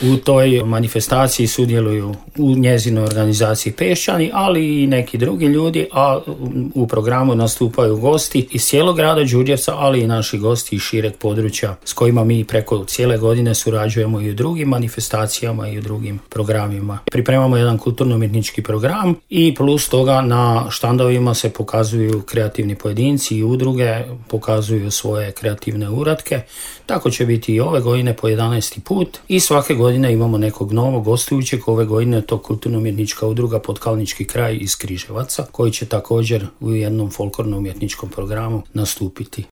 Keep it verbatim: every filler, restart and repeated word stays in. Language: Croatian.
U toj manifestaciji sudjeluju u njezinoj organizaciji Peščani, ali i neki drugi ljudi, a u programu nastupaju gosti iz cijelog grada Đurđevca, ali i naši gosti iz šireg područja s kojima mi preko cijele godine surađujemo i u drugim manifestacijama i u drugim programima. Pripremamo jedan kulturno-umjetnički program i plus toga na štandovima se pokazuju kreativni pojedinci i udruge, pokazuju svoje kreativne uratke. Tako će biti i ove godine po jedanaesti put i svake godine imamo nekog novog gostujućeg. Ove godine je to kulturno-umjetnička udruga Potkalnički kraj iz Križevaca, koji će također u jednom folklorno-umjetničkom programu nastupiti.